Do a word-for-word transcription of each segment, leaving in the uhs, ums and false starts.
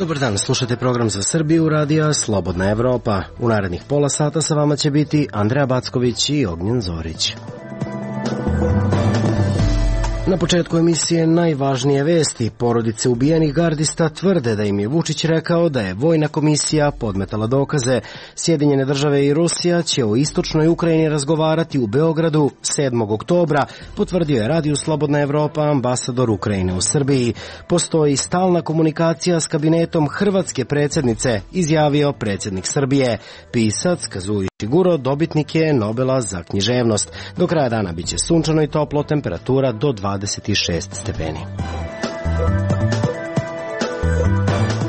Dobar dan, slušate program za Srbiju radija Slobodna Evropa. U narednih pola sata sa vama će biti Andreja Backović i Ognjen Zorić. Na početku emisije najvažnije vesti. Porodice ubijenih gardista tvrde da im je Vučić rekao da je vojna komisija podmetala dokaze. Sjedinjene države i Rusija će o istočnoj Ukrajini razgovarati u Beogradu sedmog oktobra, potvrdio je radiju Slobodna Evropa ambasador Ukrajine u Srbiji. Postoji stalna komunikacija s kabinetom hrvatske predsjednice, izjavio predsjednik Srbije. Pisac Kazuo Ishiguro dobitnik je Nobela za književnost. Do kraja dana biće sunčano i toplo, temperatura do dvadeset šest stepeni.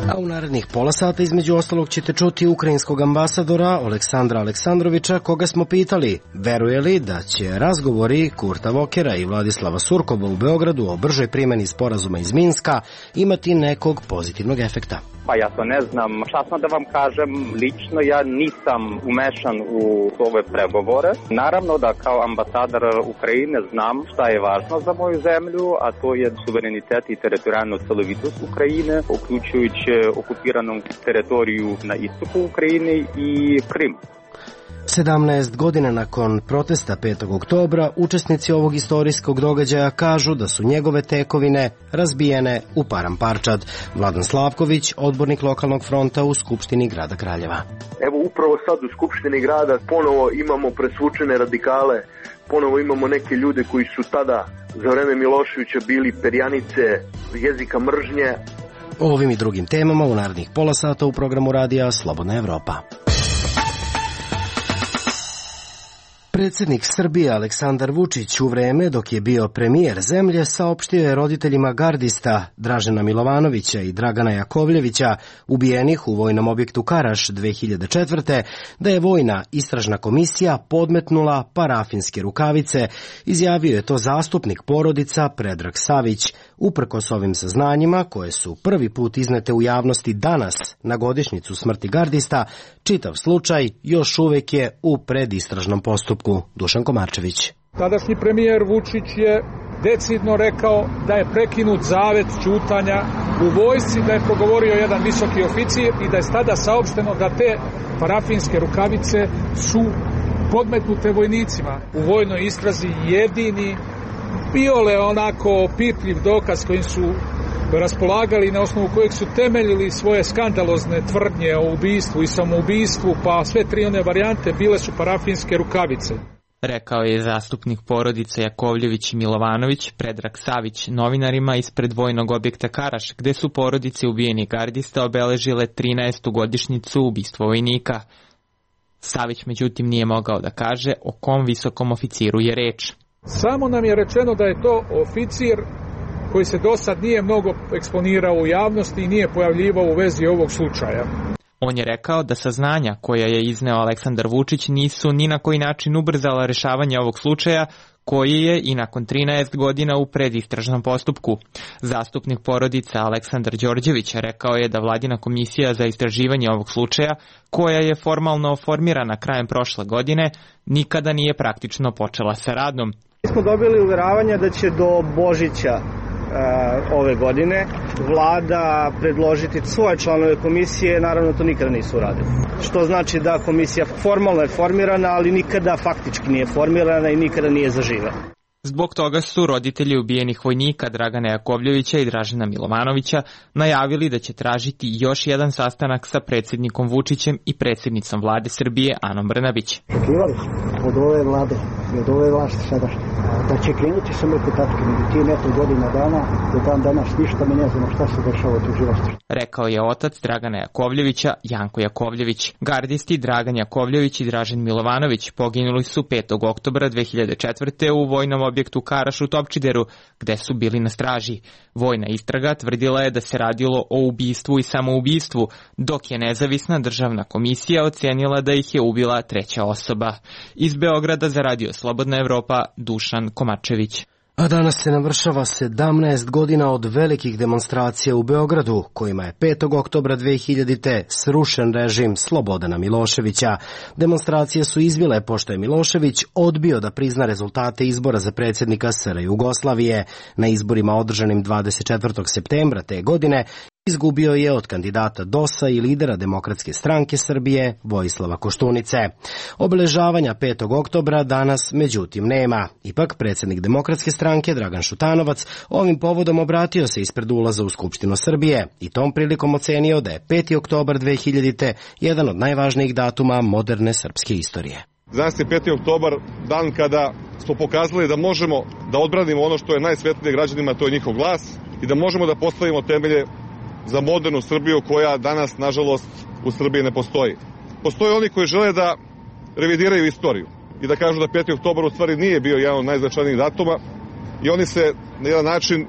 A u narednih pola sata između ostalog ćete čuti ukrajinskog ambasadora Aleksandra Aleksandrovića, koga smo pitali veruje li da će razgovori Kurta Vokera i Vladislava Surkova u Beogradu o bržoj primjeni sporazuma iz Minska imati nekog pozitivnog efekta. Pa ja to ne znam. Časno da vam kažem, lično ja nisam umešan u ove pregovore. Naravno da kao ambasador Ukrajine znam šta je važno za moju zemlju, a to je suverenitet i teritorijalnu celovitost Ukrajine, uključujući okupiranom teritoriju na istoku Ukrajine i Krim. sedamnaest godina nakon protesta petog oktobra, učesnici ovog istorijskog događaja kažu da su njegove tekovine razbijene u paramparčad. Vladan Slavković, odbornik lokalnog fronta u Skupštini grada Kraljeva. Evo upravo sad u Skupštini grada ponovo imamo presvučene radikale, ponovo imamo neke ljude koji su tada za vreme Miloševića bili perjanice jezika mržnje. O ovim i drugim temama u narednih pola sata u programu radija Slobodna Evropa. Predsjednik Srbije Aleksandar Vučić u vreme dok je bio premijer zemlje saopštio je roditeljima gardista Dražena Milovanovića i Dragana Jakovljevića, ubijenih u vojnom objektu Karaš dve hiljade četvrte. da je vojna istražna komisija podmetnula parafinske rukavice. Izjavio je to zastupnik porodica Predrag Savić. Uprkos ovim saznanjima, koje su prvi put iznete u javnosti danas na godišnjicu smrti gardista, čitav slučaj još uvek je u predistražnom postupku. Dušan Komarčević. Tadašnji premijer Vučić je decidno rekao da je prekinut zavet ćutanja u vojsci, da je progovorio jedan visoki oficir i da je tada saopšteno da te parafinske rukavice su podmetnute vojnicima. U vojnoj istrazi jedini biole onako pipljiv dokaz kojim su raspolagali, na osnovu kojeg su temeljili svoje skandalozne tvrdnje o ubistvu i samoubistvu, pa sve tri one varijante bile su parafinske rukavice. Rekao je zastupnik porodice Jakovljević i Milovanović Predrag Savić novinarima ispred vojnog objekta Karaš, gde su porodice ubijenih gardista obeležile trinaestu godišnjicu ubistva vojnika. Savić međutim nije mogao da kaže o kom visokom oficiru je reč. Samo nam je rečeno da je to oficir koji se do sad nije mnogo eksponirao u javnosti i nije pojavljivao u vezi ovog slučaja. On je rekao da saznanja koja je izneo Aleksandar Vučić nisu ni na koji način ubrzala rešavanje ovog slučaja, koji je i nakon trinaest godina u predistražnom postupku. Zastupnik porodice Aleksandar Đorđević rekao je da vladina komisija za istraživanje ovog slučaja, koja je formalno formirana krajem prošle godine, nikada nije praktično počela sa radom. Mi smo dobili uveravanje da će do Božića ove godine vlada predložiti svoje članove komisije, naravno to nikada nisu uradili. Što znači da komisija formalno je formirana, ali nikada faktički nije formirana i nikada nije zaživela. Zbog toga su roditelji ubijenih vojnika Dragana Jakovljevića i Dražena Milovanovića najavili da će tražiti još jedan sastanak sa predsjednikom Vučićem i predsjednicom vlade Srbije Anom Brnabić. Očekivali smo od ove vlade i od ove vlasti sadašnje da će krenuti samo oko tačke, međutim eto godina dana, do dan danas ništa mi ne znamo šta se dešava u tužilaštvu. Rekao je otac Dragana Jakovljevića, Janko Jakovljević. Gardisti Dragan Jakovljević i Dražen Milovanović poginuli su petog oktobra dve hiljade četvrte. u vojnom objektu Karaš u Topčideru, gde su bili na straži. Vojna istraga tvrdila je da se radilo o ubistvu i samoubistvu, dok je nezavisna državna komisija ocenila da ih je ubila treća osoba. Iz Beograda za radio Slobodna Evropa, Dušan Komarčević. A danas se navršava sedamnaest godina od velikih demonstracija u Beogradu, kojima je petog oktobra dve hiljadite. srušen režim Slobodana Miloševića. Demonstracije su izbile pošto je Milošević odbio da prizna rezultate izbora za predsjednika S R Jugoslavije. Na izborima održanim dvadeset četvrtog septembra te godine Izgubio je od kandidata D O S-a i lidera Demokratske stranke Srbije Vojislava Koštunice. Obeležavanja petog oktobra danas međutim nema. Ipak predsjednik Demokratske stranke Dragan Šutanovac ovim povodom obratio se ispred ulaza u Skupštinu Srbije i tom prilikom ocenio da je peti oktobar dve hiljadite jedan od najvažnijih datuma moderne srpske istorije. Danas je peti oktobar, dan kada smo pokazali da možemo da odbranimo ono što je najsvetnije građanima, to je njihov glas, i da možemo da postavimo temelje za modernu Srbiju koja danas, nažalost, u Srbiji ne postoji. Postoje oni koji žele da revidiraju istoriju i da kažu da peti oktobar u stvari nije bio jedan od najznačajnijih datuma i oni se na jedan način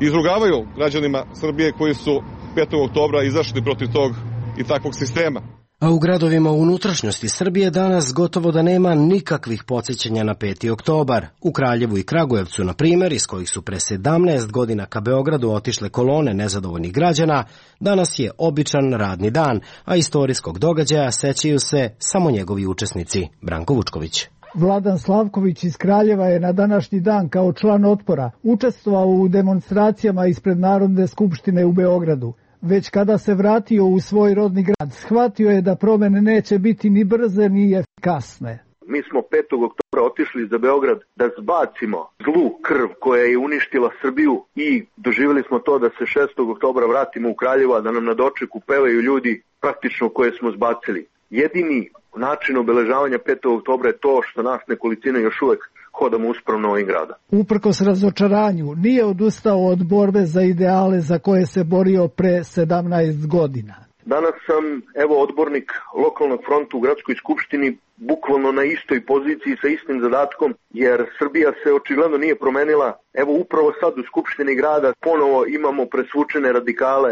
izrugavaju građanima Srbije koji su petog oktobra izašli protiv tog i takvog sistema. A u gradovima u unutrašnjosti Srbije danas gotovo da nema nikakvih podsjećanja na peti oktobar. U Kraljevu i Kragujevcu, na primjer, iz kojih su pre sedamnaest godina ka Beogradu otišle kolone nezadovoljnih građana, danas je običan radni dan, a istorijskog događaja sećaju se samo njegovi učesnici. Branko Vučković. Vladan Slavković iz Kraljeva je na današnji dan kao član Otpora učestvovao u demonstracijama ispred Narodne skupštine u Beogradu. Već kada se vratio u svoj rodni grad, shvatio je da promene neće biti ni brze ni efikasne. Mi smo petog oktobra otišli za Beograd da zbacimo zlu krv koja je uništila Srbiju i doživjeli smo to da se šestog oktobra vratimo u Kraljevo, a da nam na dočeku pevaju ljudi praktično koje smo zbacili. Jedini način obeležavanja petog oktobra je to što nas nekolicina još uvek hodamo uspravno ovim grada. Uprkos razočaranju, nije odustao od borbe za ideale za koje se borio pre sedamnaest godina. Danas sam, evo, odbornik lokalnog fronta u gradskoj skupštini, bukvalno na istoj poziciji sa istim zadatkom, jer Srbija se očigledno nije promenila. Evo, upravo sad u skupštini grada ponovo imamo presvučene radikale,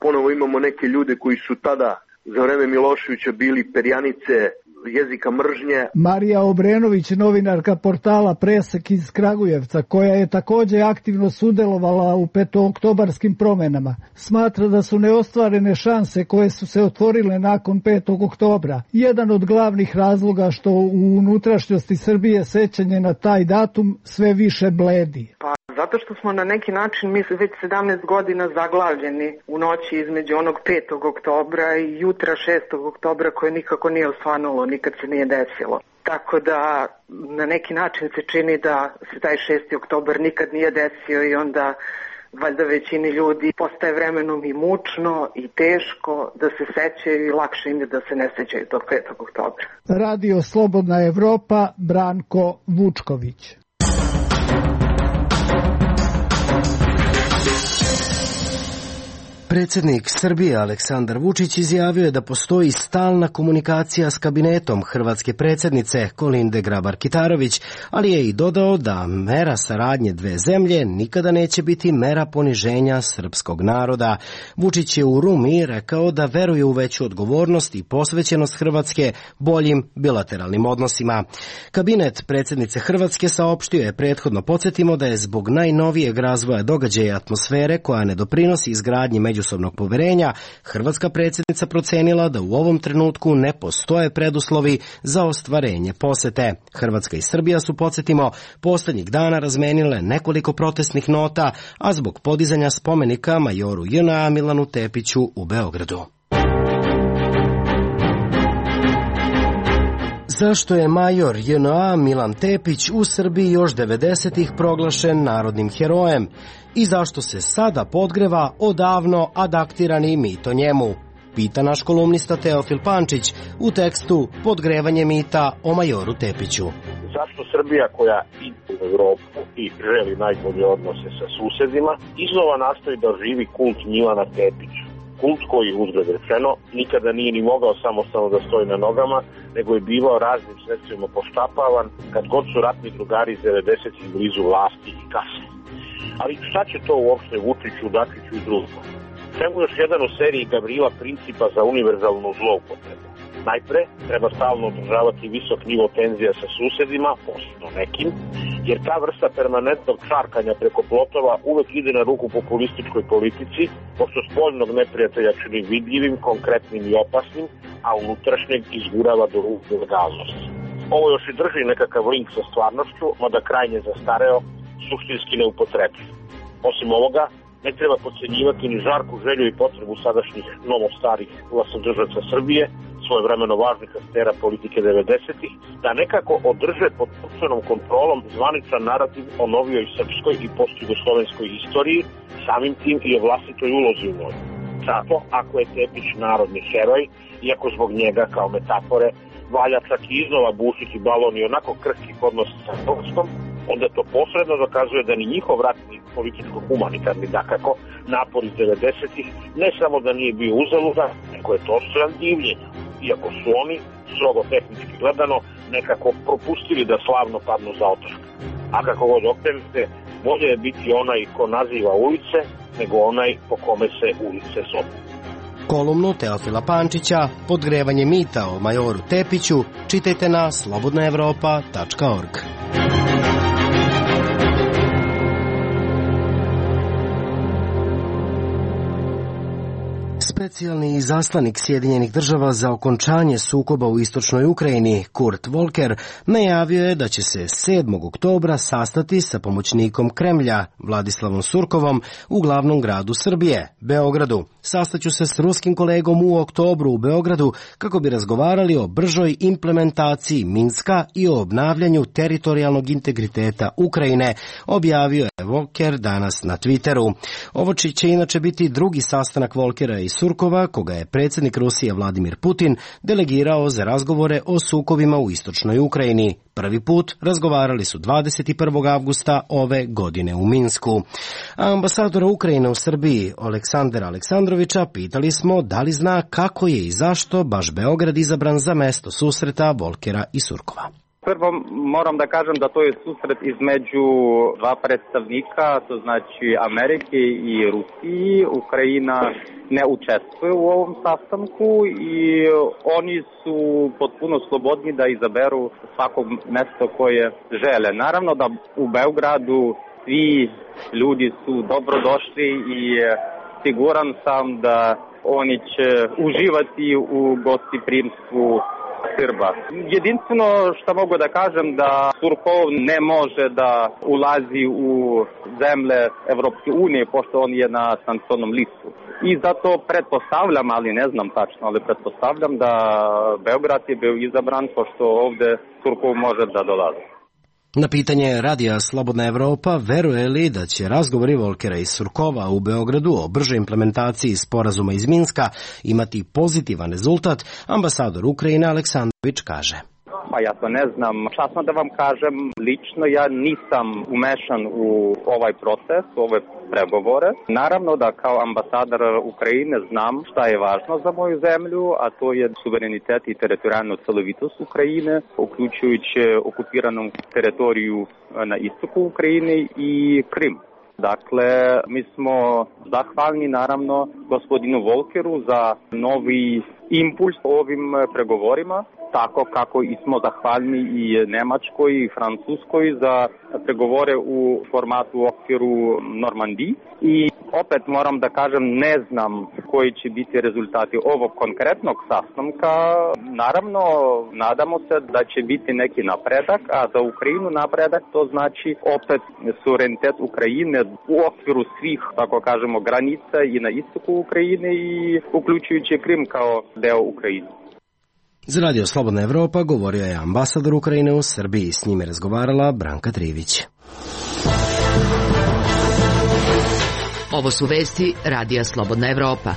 ponovo imamo neke ljude koji su tada za vreme Miloševića bili perjanice jezika mržnje. Marija Obrenović, novinarka portala Presek iz Kragujevca, koja je takođe aktivno sudelovala u petooktobarskim promenama, smatra da su neostvarene šanse koje su se otvorile nakon petog oktobra jedan od glavnih razloga što u unutrašnjosti Srbije sećanje na taj datum sve više bledi. Pa zato što smo na neki način mi već sedamnaest godina zaglavljeni u noći između onog petog oktobra i jutra šestog oktobra koje nikako nije osvanulo, nikad se nije desilo. Tako da na neki način se čini da se taj šesti oktobar nikad nije desio i onda valjda većini ljudi postaje vremenom i mučno i teško da se sećaju i lakše im je da se ne sećaju tog petog oktobra. Radio Slobodna Evropa, Branko Vučković. Predsjednik Srbije Aleksandar Vučić izjavio je da postoji stalna komunikacija s kabinetom hrvatske predsjednice Kolinde Grabar-Kitarović, ali je i dodao da mera saradnje dve zemlje nikada neće biti mera poniženja srpskog naroda. Vučić je u Rumi rekao da veruje u veću odgovornost i posvećenost Hrvatske boljim bilateralnim odnosima. Kabinet predsjednice Hrvatske saopštio je prethodno, podsjetimo, da je zbog najnovijeg razvoja događaja i atmosfere koja ne doprinosi izgradnji međusobnog poverenja, hrvatska predsjednica procenila da u ovom trenutku ne postoje preduslovi za ostvarenje posete. Hrvatska i Srbija su, podsjetimo, posljednjih dana razmenile nekoliko protestnih nota, a zbog podizanja spomenika majoru J N A Milanu Tepiću u Beogradu. Zašto je major J N A Milan Tepić u Srbiji još devedesetih proglašen narodnim herojem i zašto se sada podgreva odavno adaptirani mit o njemu? Pita naš kolumnista Teofil Pančić u tekstu Podgrevanje mita o majoru Tepiću. Zašto Srbija, koja ide u Evropu i želi najbolje odnose sa susedima, iznova nastoji da živi kult Milana Tepića? Kult koji, uzgled rečeno, nikada nije ni mogao samostalno da stoji na nogama, nego je bivao raznim sredstvima poštapavan kad god su ratni drugari iz devedesetih blizu vlasti i kase. Ali šta će to uopšte Vučiću, Dačiću i drugima? Čemu još jedan u seriji Gavrila Principa za univerzalnu zloupotrebu? Najpre, treba stalno održavati visok nivo tenzija sa susedima, posebno nekim, jer ta vrsta permanentnog čarkanja preko plotova uvek ide na ruku populističkoj politici, pošto spoljnog neprijatelja čini vidljivim, konkretnim i opasnim, a unutrašnjeg izgurava do ruku legalnosti. Ovo još i drži nekakav link sa stvarnošću, mada krajnje zastareo, suštinski neupotrebljiv. Osim ovoga, Ne treba podcenjivati ni žarku želju i potrebu sadašnjih novo-starih vlastodržaca Srbije, svojevremeno važnih aktera politike devedesetih, da nekako održe pod potpunom kontrolom zvaničan narativ o novijoj srpskoj i postjugoslovenskoj istoriji, samim tim i o vlastitoj ulozi u njoj. Zato, ako je Tepić narodni heroj, iako zbog njega kao metafore valja čak i iznova bušiti balon i onako krhkih odnosa sa Hrvatskom, onda to posredno dokazuje da ni njihov ratni političko-humanitarni, dakako, napor iz devedesetih ne samo da nije bio uzaludan, nego je to stojan divljenja, iako su oni, strogo tehnički gledano, nekako propustili da slavno padnu za otršak. A kako god okrenete, bolje je biti onaj ko naziva ulice, nego onaj po kome se ulice zovu. Kolumnu Teofila Pančića Podgrevanje mita o majoru Tepiću čitajte na slobodna evropa tačka org. Specijalni izaslanik Sjedinjenih država za okončanje sukoba u istočnoj Ukrajini, Kurt Volker, najavio je da će se sedmog oktobra sastati sa pomoćnikom Kremlja, Vladislavom Surkovom, u glavnom gradu Srbije, Beogradu. Sastaću se s ruskim kolegom u oktobru u Beogradu kako bi razgovarali o bržoj implementaciji Minska i o obnavljanju teritorijalnog integriteta Ukrajine, objavio je Volker danas na Twitteru. Ovo će inače biti drugi sastanak Volkera i Surkova, koga je predsjednik Rusije Vladimir Putin delegirao za razgovore o sukobima u istočnoj Ukrajini. Prvi put razgovarali su dvadeset prvog avgusta ove godine u Minsku. A ambasadora Ukrajine u Srbiji, Aleksandra Aleksandrovića, pitali smo da li zna kako je i zašto baš Beograd izabran za mesto susreta Volkera i Surkova. Prvo moram da kažem da to je susret između dva predstavnika, to znači Amerike i Rusije. Ukrajina ne učestvuje u ovom sastanku i oni su potpuno slobodni da izaberu svako mesto koje žele. Naravno da u Beogradu svi ljudi su dobrodošli i siguran sam da oni će uživati u gostoprimstvu Srba. Jedinstveno što mogu da kažem da Surkov ne može da ulazi u zemlje Evropske unije pošto on je na sankcionnom listu. I zato pretpostavljam, ali ne znam tačno, ali pretpostavljam da Beograd je bio izabran pošto ovde Surkov može da dolazi. Na pitanje radija Slobodna Evropa veruje li da će razgovori Volkera i Surkova u Beogradu o bržoj implementaciji sporazuma iz Minska imati pozitivan rezultat, ambasador Ukrajine Aleksandrović kaže. Pa ja to ne znam. Časno da vam kažem, lično ja nisam umešan u ovaj proces, u ove pregovore. Naravno da kao ambasador Ukrajine znam šta je važno za moju zemlju, a to je suverenitet i teritorijalnu celovitost Ukrajine, uključujući okupiranu teritoriju na istoku Ukrajine i Krim. Dakle, mi smo zahvalni naravno gospodinu Volkeru za novi impuls ovim pregovorima, tako kako i smo zahvalni i Nemačkoj i Francuskoj za pregovore u formatu u okviru Normandiji. I opet moram da kažem, ne znam koji će biti rezultati ovog konkretnog sastanka. Naravno, nadamo se da će biti neki napredak, a za Ukrajinu napredak to znači opet suverenitet Ukrajine u okviru svih, tako kažemo, granica i na istoku Ukrajine i uključujući Krim kao deo Ukrajine. Za Radio Slobodna Evropa govorio je ambasador Ukrajine u Srbiji. S njime razgovarala Branka Trivić. Ovo su vesti Radija Slobodna Evropa.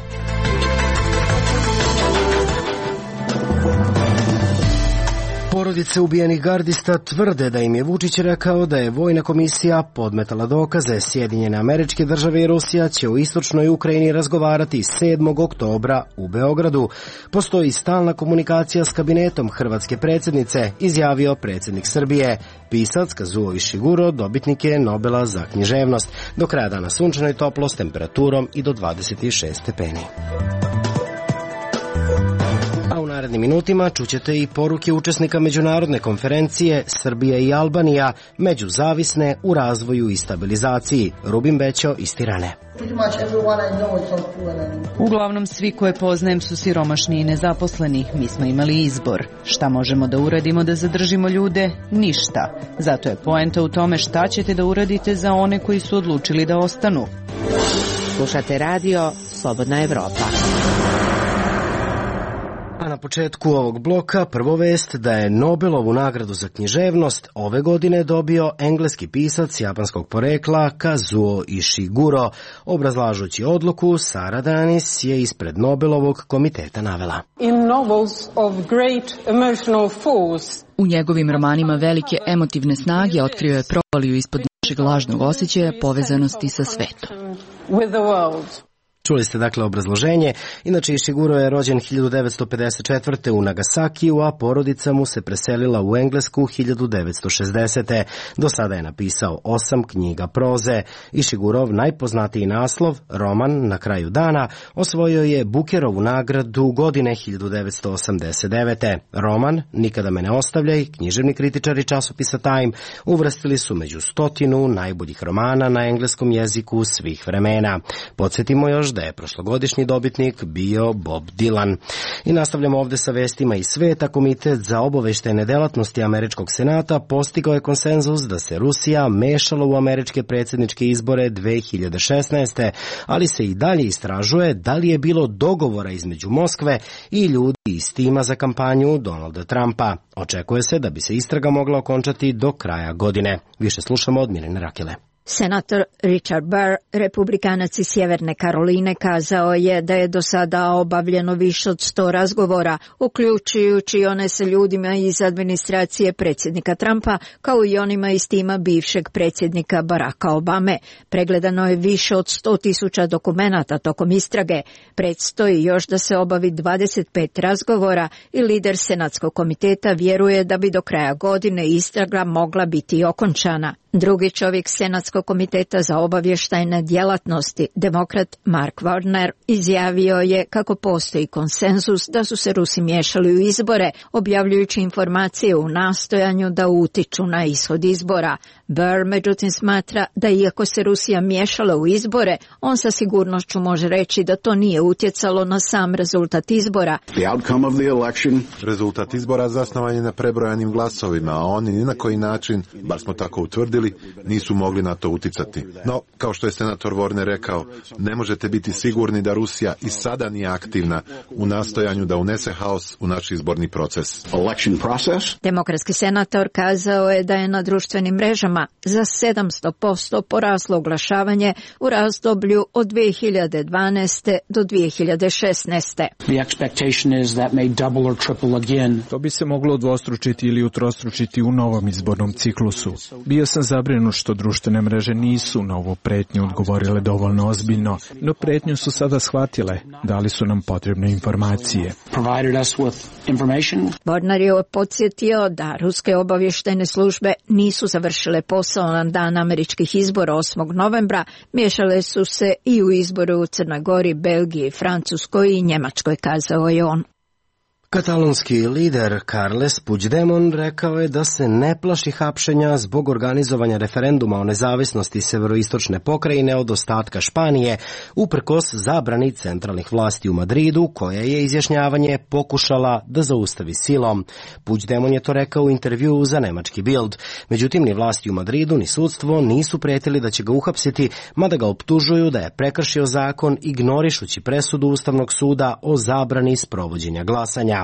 Porodice ubijenih gardista tvrde da im je Vučić rekao da je vojna komisija podmetala dokaze. Sjedinjene Američke Države i Rusija će u istočnoj Ukrajini razgovarati sedmog oktobra u Beogradu. Postoji stalna komunikacija s kabinetom hrvatske predsjednice, izjavio predsjednik Srbije. Pisac Kazuo Ishiguro dobitnik je Nobela za književnost. Do kraja dana sunčano i toplo s temperaturom i do dvadeset šest stepeni. A u narednim minutima čućete i poruke učesnika međunarodne konferencije Srbija i Albanija međuzavisne u razvoju i stabilizaciji. Rubin Bećo iz Tirane. Uglavnom svi koje poznajem su siromašni i nezaposleni. Mi smo imali izbor. Šta možemo da uradimo da zadržimo ljude? Ništa. Zato je poenta u tome šta ćete da uradite za one koji su odlučili da ostanu. Slušate radio Slobodna Evropa. A na početku ovog bloka prvo vest da je Nobelovu nagradu za književnost ove godine dobio engleski pisac japanskog porekla Kazuo Ishiguro. Obrazlažući odluku, Sara Danis je ispred Nobelovog komiteta navela. In novels of great emotional force. U njegovim romanima velike emotivne snage otkrio je provaliju ispod našeg lažnog osjećaja povezanosti sa svetom. With the world. Čuli ste dakle obrazloženje. Inače, Ishiguro je rođen hiljadu devetsto pedeset četvrte u Nagasakiju, a porodica mu se preselila u Englesku hiljadu devetsto šezdesete. Do sada je napisao osam knjiga proze. Ishigurov najpoznatiji naslov, roman Na kraju dana, osvojio je Bookerovu nagradu godine hiljadu devetsto osamdeset devete. Roman Nikada me ne ostavljaj, književni kritičari časopisa Time uvrstili su među stotinu najboljih romana na engleskom jeziku svih vremena. Podsjetimo još da je prošlogodišnji dobitnik bio Bob Dylan. I nastavljamo ovde sa vestima iz sveta. Komitet za obaveštajne delatnosti Američkog senata postigao je konsenzus da se Rusija mešala u američke predsjedničke izbore dve hiljade šesnaeste. ali se i dalje istražuje da li je bilo dogovora između Moskve i ljudi iz tima za kampanju Donalda Trumpa. Očekuje se da bi se istraga mogla okončati do kraja godine. Više slušamo od Mirjane Rakele. Senator Richard Burr, republikanac iz Sjeverne Karoline, kazao je da je do sada obavljeno više od sto razgovora, uključujući one sa ljudima iz administracije predsjednika Trumpa, kao i onima iz tima bivšeg predsjednika Baracka Obame. Pregledano je više od sto tisuća dokumenata tokom istrage. Predstoji još da se obavi dvadeset pet razgovora i lider Senatskog komiteta vjeruje da bi do kraja godine istraga mogla biti okončana. Drugi čovjek Senatskog komiteta za obavještajne djelatnosti, demokrat Mark Warner, izjavio je kako postoji konsenzus da su se Rusi miješali u izbore, objavljujući informacije u nastojanju da utiču na ishod izbora. Burr međutim smatra da iako se Rusija miješala u izbore, on sa sigurnošću može reći da to nije utjecalo na sam rezultat izbora. Rezultat izbora zasnovan je na prebrojanim glasovima, a oni ni na koji način, bar smo tako utvrdili, nisu mogli na to uticati. No, kao što je senator Warner rekao, ne možete biti sigurni da Rusija i sada nije aktivna u nastojanju da unese haos u naš izborni proces. Demokratski senator kazao je da je na društvenim mrežama za sedamsto posto poraslo oglašavanje u razdoblju od dvije hiljade dvanaeste do dvije hiljade šesnaeste. To bi se moglo dvostručiti ili utrostručiti u novom izbornom ciklusu. Bio sam zabrinut što društvene mreže nisu na ovu pretnju odgovorile dovoljno ozbiljno, no pretnju su sada shvatile, dali su nam potrebne informacije. Warner je podsjetio da ruske obavještajne službe nisu završile posao na dan američkih izbora osmog novembra, miješale su se i u izbore u Crnoj Gori, Belgiji, Francuskoj i Njemačkoj, kazao je on. Katalonski lider Carles Puigdemont rekao je da se ne plaši hapšenja zbog organizovanja referenduma o nezavisnosti severoistočne pokrajine od ostatka Španije, uprkos zabrani centralnih vlasti u Madridu, koja je izjašnjavanje pokušala da zaustavi silom. Puigdemont je to rekao u intervjuu za nemački Bild. Međutim, ni vlasti u Madridu ni sudstvo nisu pretili da će ga uhapsiti, mada ga optužuju da je prekršio zakon ignorišući presudu Ustavnog suda o zabrani sprovođenja glasanja.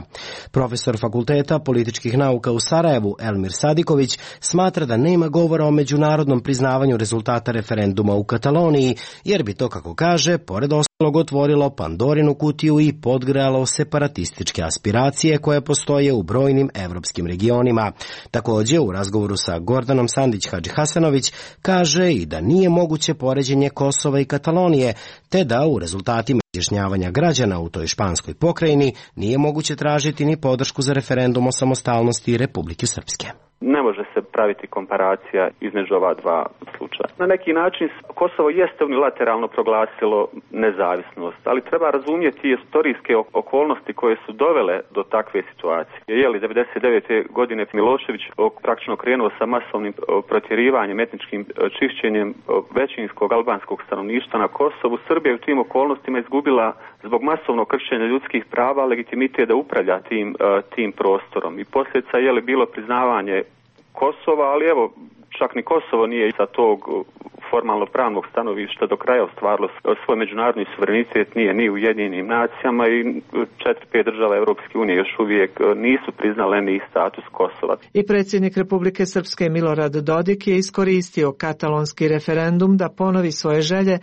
Profesor Fakulteta političkih nauka u Sarajevu, Elmir Sadiković, smatra da nema govora o međunarodnom priznavanju rezultata referenduma u Kataloniji, jer bi to, kako kaže, pored ostalog otvorilo Pandorinu kutiju i podgrejalo separatističke aspiracije koje postoje u brojnim evropskim regionima. Također, u razgovoru sa Gordanom Sandić-Hadžihasanović kaže i da nije moguće poređenje Kosova i Katalonije, te da u rezultatima izjašnjavanja građana u toj španskoj pokrajini nije moguće tražiti ni podršku za referendum o samostalnosti Republike Srpske. Ne može se praviti komparacija između ova dva slučaja. Na neki način Kosovo jeste unilateralno proglasilo nezavisnost, ali treba razumjeti istorijske okolnosti koje su dovele do takve situacije. Je li devedeset devete godine Milošević praktično krenuo sa masovnim protjerivanjem, etničkim čišćenjem većinskog albanskog stanovništva na Kosovu, Srbija je u tim okolnostima izgubila zbog masovnog kršenja ljudskih prava legitimitet da upravlja tim, tim prostorom. I posljedica je li bilo priznavanje Kosova, ali evo, čak ni Kosovo nije sa tog formalno pravnog stanovišta do kraja ostvarilo svoj međunarodni suverenitet, nije ni u Ujedinjenim nacijama i četiri, pet država Europske unije još uvijek nisu priznale ni status Kosova. I predsjednik Republike Srpske Milorad Dodik je iskoristio katalonski referendum da ponovi svoje želje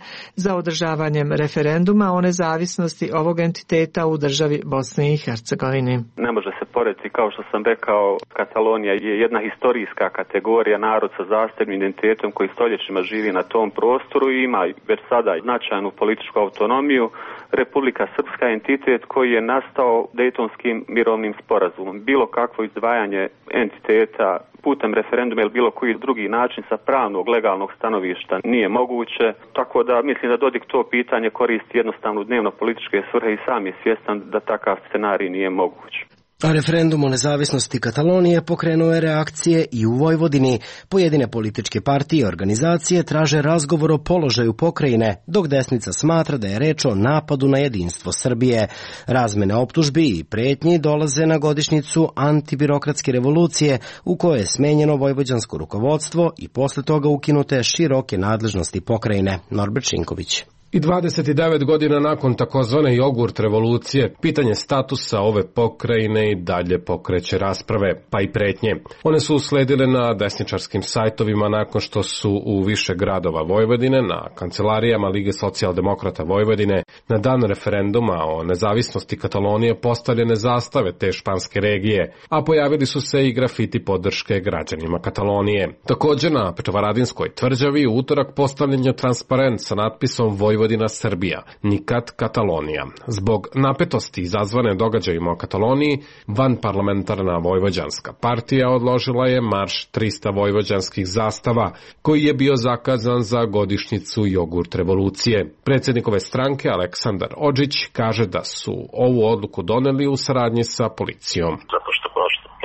za održavanjem referenduma o nezavisnosti ovog entiteta u državi Bosne i Hercegovine. Ne može se porediti, kao što sam rekao, Katalonija je jedna historijska kategorija, narod sa zasebnim identitetom koji stoljećima živi na tom prostoru i ima već sada značajnu političku autonomiju. Republika Srpska je entitet koji je nastao Dejtonskim mirovnim sporazumom. Bilo kakvo izdvajanje entiteta putem referenduma ili bilo koji drugi način sa pravnog, legalnog stanovišta nije moguće. Tako da mislim da Dodik to pitanje koristi jednostavno u dnevno političke svrhe i sam je svjestan da takav scenarij nije moguć. A referendum o nezavisnosti Katalonije pokrenuo je reakcije i u Vojvodini. Pojedine političke partije i organizacije traže razgovor o položaju pokrajine, dok desnica smatra da je reč o napadu na jedinstvo Srbije. Razmene optužbi i pretnji dolaze na godišnjicu antibirokratske revolucije u kojoj je smenjeno vojvođansko rukovodstvo i posle toga ukinute široke nadležnosti pokrajine. Norbert Šinković. I dvadeset devet godina nakon takozvane jogurt revolucije, pitanje statusa ove pokrajine i dalje pokreće rasprave, pa i pretnje. One su usledile na desničarskim sajtovima nakon što su u više gradova Vojvodine, na kancelarijama Lige socijaldemokrata Vojvodine, na dan referenduma o nezavisnosti Katalonije postavljene zastave te španske regije, a pojavili su se i grafiti podrške građanima Katalonije. Također na Petrovaradinskoj tvrđavi u utorak postavljen je transparent sa natpisom Vojvodina Vojvodina Srbija, nikad Katalonija. Zbog napetosti izazvane događajima o Kataloniji, vanparlamentarna vojvođanska partija odložila je marš trista vojvođanskih zastava, koji je bio zakazan za godišnjicu jogurt revolucije. Predsjednik ove stranke, Aleksandar Odžić, kaže da su ovu odluku doneli u saradnji sa policijom. Zato što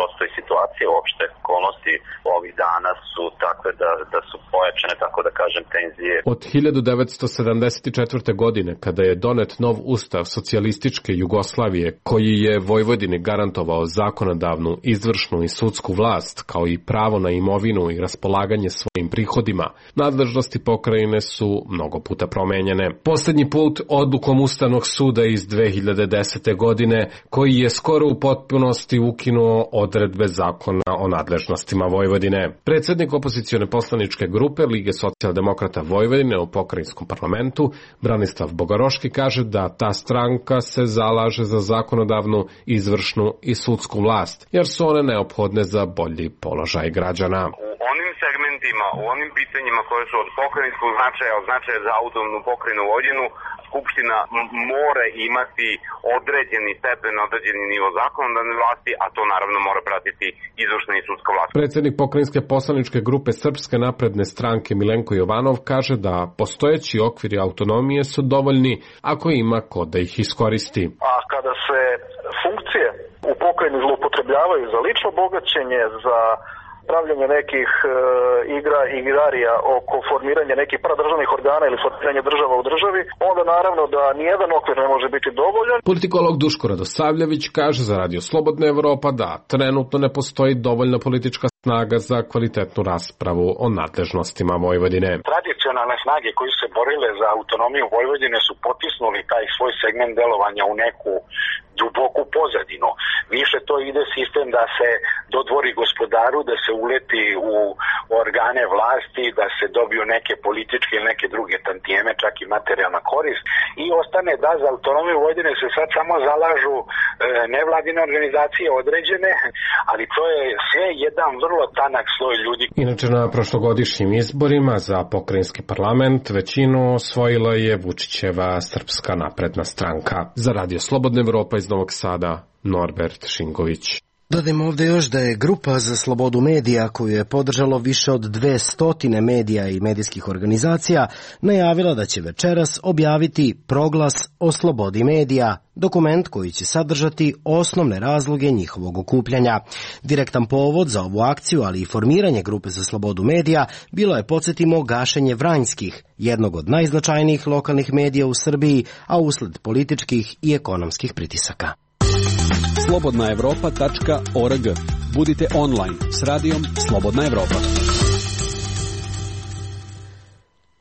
postoji situacija, uopšte okolnosti ovih dana su takve da, da su pojačane, tako da kažem, tenzije. Od hiljadu devetsto sedamdeset četvrte. godine, kada je donet nov ustav socijalističke Jugoslavije, koji je Vojvodini garantovao zakonodavnu, izvršnu i sudsku vlast, kao i pravo na imovinu i raspolaganje svojim prihodima, nadležnosti pokrajine su mnogo puta promenjene. Posljednji put odlukom Ustavnog suda iz dve hiljade desete. godine, koji je skoro u potpunosti ukinuo odredbe zakona o nadležnostima Vojvodine. Predsjednik opozicione poslaničke grupe Lige socijaldemokrata Vojvodine u pokrajinskom parlamentu, Branislav Bogaroški, kaže da ta stranka se zalaže za zakonodavnu, izvršnu i sudsku vlast, jer su one neophodne za bolji položaj građana. U onim segmentima, u onim pitanjima koje su od pokrajinskog značaja, od značaja za autonomnu pokrajinu Vojvodinu, Skupština mora imati određeni stepen, određeni nivo zakonodavne vlasti, a to naravno mora pratiti izvršna i sudska vlast. Predsjednik pokrajinske poslaničke grupe Srpske napredne stranke Milenko Jovanov kaže da postojeći okviri autonomije su dovoljni ako ima ko da ih iskoristi. A kada se funkcije u pokrajini zloupotrebljavaju za lično bogaćenje, za pravljanje nekih e, igra igrarija oko formiranja nekih paradržavnih organa ili formiranja država u državi, onda naravno da nijedan okvir ne može biti dovoljan. Politikolog Duško Radosavljević kaže za Radio Slobodna Evropa da trenutno ne postoji dovoljna politička snaga za kvalitetnu raspravu o nadležnostima Vojvodine. Tradicionalne snage koji su se borile za autonomiju Vojvodine su potisnuli taj svoj segment delovanja u neku duboku pozadinu. Više to ide sistem da se dodvori gospodaru, da se uleti u organe vlasti, da se dobiju neke političke ili neke druge tantijeme, čak i materijalna korist, i ostane da za autonomiju Vojvodine se sad samo zalažu e, nevladine organizacije određene, ali to je sve jedan vrlo tanak sloj ljudi. Inače, na prošlogodišnjim izborima za pokrajinski parlament većinu osvojila je Vučićeva Srpska napredna stranka. Za Radio Slobodna Evropa iz Novog Sada, Norbert Šingović. Dodajmo ovdje još da je Grupa za slobodu medija, koju je podržalo više od dve stotine medija i medijskih organizacija, najavila da će večeras objaviti proglas o slobodi medija, dokument koji će sadržati osnovne razloge njihovog okupljanja. Direktan povod za ovu akciju, ali i formiranje Grupe za slobodu medija, bilo je, podsjetimo, gašenje Vranjskih, jednog od najznačajnijih lokalnih medija u Srbiji, a usled političkih i ekonomskih pritisaka. slobodna evropa tačka org. Budite online s radijom Slobodna Evropa.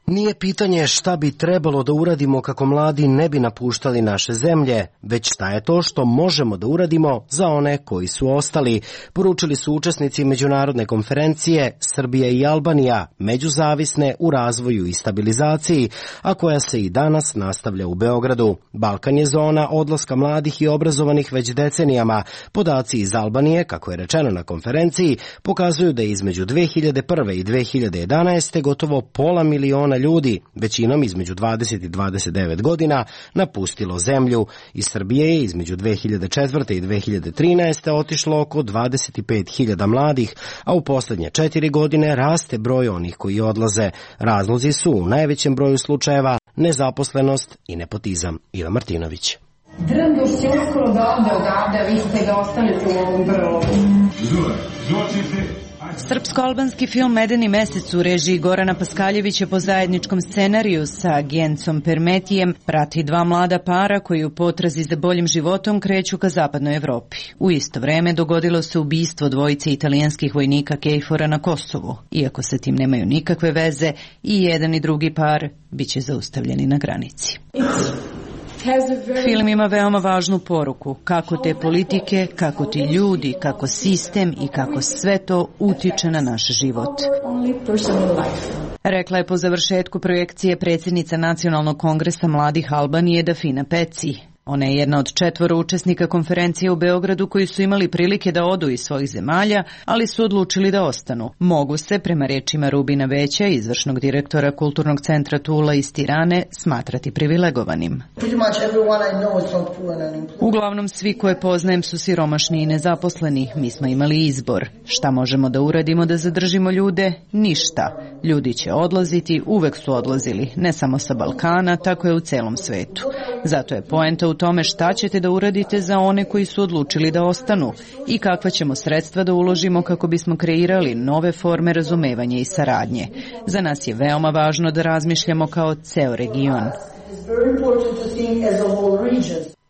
Nije pitanje šta bi trebalo da uradimo kako mladi ne bi napuštali naše zemlje, već šta je to što možemo da uradimo za one koji su ostali, poručili su učesnici međunarodne konferencije Srbija i Albanija, međuzavisne u razvoju i stabilizaciji, a koja se i danas nastavlja u Beogradu. Balkan je zona odlaska mladih i obrazovanih već decenijama. Podaci iz Albanije, kako je rečeno na konferenciji, pokazuju da je između dve hiljade prve i dve hiljade jedanaeste. gotovo pola miliona ljudi, većinom između dvadeset i dvadeset devet godina, napustilo zemlju. Iz Srbije je između dve hiljade četvrte i dve hiljade trinaeste. otišlo oko dvadeset pet hiljada mladih, a u poslednje četiri godine raste broj onih koji odlaze. Razlozi su u najvećem broju slučajeva nezaposlenost i nepotizam. Iva Martinović. Drnduš će uskoro da ode odavde, vi ste ga ostavili u ovom brlogu. Srpsko-albanski film Medeni mesec u režiji Gorana Paskaljevića po zajedničkom scenariju sa Gencom Permetijem prati dva mlada para koji u potrazi za boljim životom kreću ka zapadnoj Evropi. U isto vreme dogodilo se ubistvo dvojice italijanskih vojnika Kejfora na Kosovu. Iako sa tim nemaju nikakve veze, i jedan i drugi par biće zaustavljeni na granici. Film ima veoma važnu poruku, kako te politike, kako ti ljudi, kako sistem i kako sve to utiče na naš život. Rekla je po završetku projekcije predsjednica Nacionalnog kongresa mladih Albanije Dafina Peci. Ona je jedna od četvoro učesnika konferencije u Beogradu koji su imali prilike da odu iz svojih zemalja, ali su odlučili da ostanu. Mogu se, prema rečima Rubina Veća, izvršnog direktora Kulturnog centra Tula iz Tirane, smatrati privilegovanim. Uglavnom svi koje poznajem su siromašni i nezaposleni. Mi smo imali izbor. Šta možemo da uradimo da zadržimo ljude? Ništa. Ljudi će odlaziti, uvek su odlazili, ne samo sa Balkana, tako je u celom svetu. Zato je poenta u tome šta ćete da uradite za one koji su odlučili da ostanu i kakva ćemo sredstva da uložimo kako bismo kreirali nove forme razumevanja i saradnje. Za nas je veoma važno da razmišljamo kao ceo region.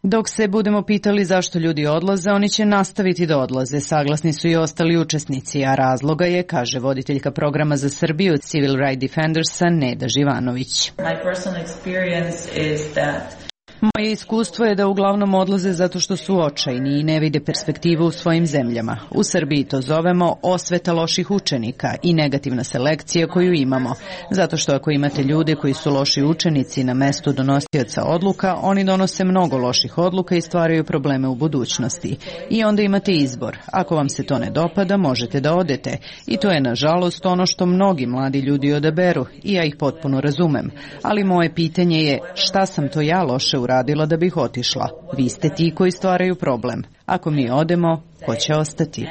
Dok se budemo pitali zašto ljudi odlaze, oni će nastaviti da odlaze, saglasni su i ostali učesnici, a razloga je, kaže voditeljka programa za Srbiju Civil Rights Defendersa Neda Živanović. My personal experience is that Moje iskustvo je da uglavnom odlaze zato što su očajni i ne vide perspektivu u svojim zemljama. U Srbiji to zovemo osveta loših učenika i negativna selekcija koju imamo. Zato što ako imate ljude koji su loši učenici na mestu donosioca odluka, oni donose mnogo loših odluka i stvaraju probleme u budućnosti. I onda imate izbor. Ako vam se to ne dopada, možete da odete. I to je nažalost ono što mnogi mladi ljudi odaberu i ja ih potpuno razumem. Ali moje pitanje je šta sam to ja loše uradila da bih otišla. Vi ste ti koji stvaraju problem. Ako mi odemo, ko će ostati?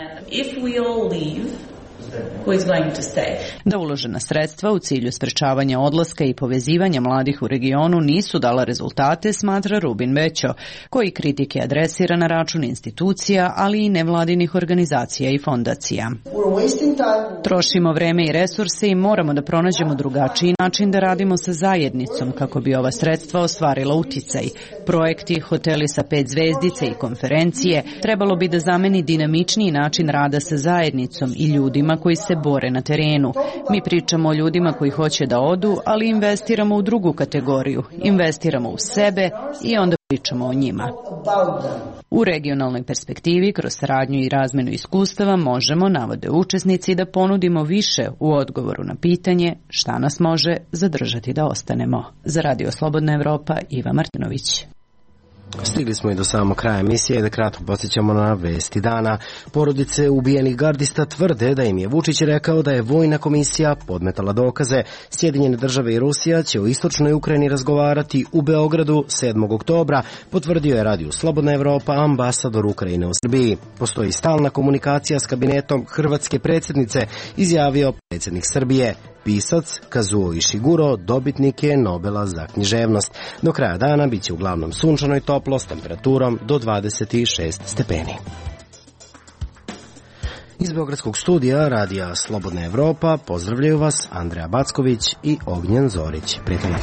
Da uložena sredstva u cilju sprečavanja odlaska i povezivanja mladih u regionu nisu dala rezultate, smatra Rubin Većo, koji kritike adresira na račun institucija, ali i nevladinih organizacija i fondacija. Trošimo vreme i resurse i moramo da pronađemo drugačiji način da radimo sa zajednicom kako bi ova sredstva ostvarila uticaj. Projekti, hoteli sa pet zvezdice i konferencije trebalo bi da zameni dinamičniji način rada sa zajednicom i ljudima koji se bore na terenu. Mi pričamo o ljudima koji hoće da odu, ali investiramo u drugu kategoriju. Investiramo u sebe i onda pričamo o njima. U regionalnoj perspektivi, kroz saradnju i razmenu iskustava, možemo, navode učesnici, da ponudimo više u odgovoru na pitanje šta nas može zadržati da ostanemo. Za Radio Slobodna Evropa, Iva Martinović. Stigli smo i do samog kraja emisije, da kratko podsjećamo na vesti dana. Porodice ubijenih gardista tvrde da im je Vučić rekao da je vojna komisija podmetala dokaze. Sjedinjene države i Rusija će o istočnoj Ukrajini razgovarati u Beogradu sedmog oktobra, potvrdio je Radio Slobodna Evropa ambasador Ukrajine u Srbiji. Postoji stalna komunikacija s kabinetom hrvatske predsjednice, izjavio predsjednik Srbije. Pisac Kazuo Ishiguro dobitnik je Nobela za književnost. Do kraja dana biće uglavnom sunčano i toplo s temperaturom do dvadeset šest stepeni. Iz Beogradskog studija Radija Slobodna Evropa pozdravljaju vas Andreja Backović i Ognjen Zorić. Prijatno.